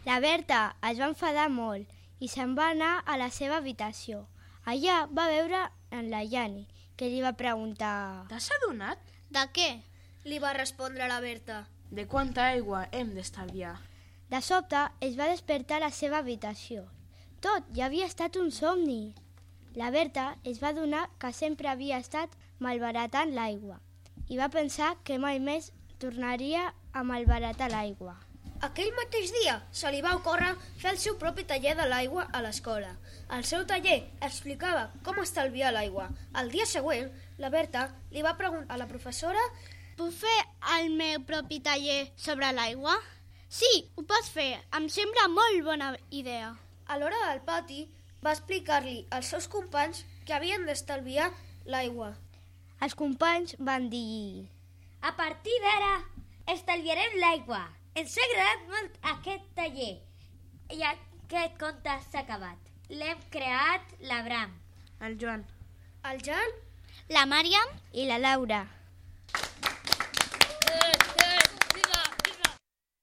La Berta es va enfadar molt i se'n va anar a la seva habitació. Allà va veure en la Jani, que li va preguntar... T'has adonat? De què? Li va respondre la Berta. De quanta aigua hem d'estalviar? De sobte es va despertar a la seva habitació. Tot ja havia estat un somni. La Berta es va adonar que sempre havia estat malbaratant l'aigua i va pensar que mai més tornaria a malbaratar l'aigua. Aquell mateix dia se li va ocórrer fer el seu propi taller de l'aigua a l'escola. El seu taller explicava com estalviar l'aigua. El dia següent, la Berta li va preguntar a la professora: Puc fer el meu propi taller sobre l'aigua? Sí, ho pots fer. Em sembla molt bona idea. A l'hora del pati va explicar-li als seus companys que havien d'estalviar l'aigua. Els companys van dir... A partir d'ara estalviarem l'aigua. Ens ha agradat molt aquest taller i aquest conte s'ha acabat. L'hem creat l'Abram, El Joan, El Jan La Màriam I la Laura.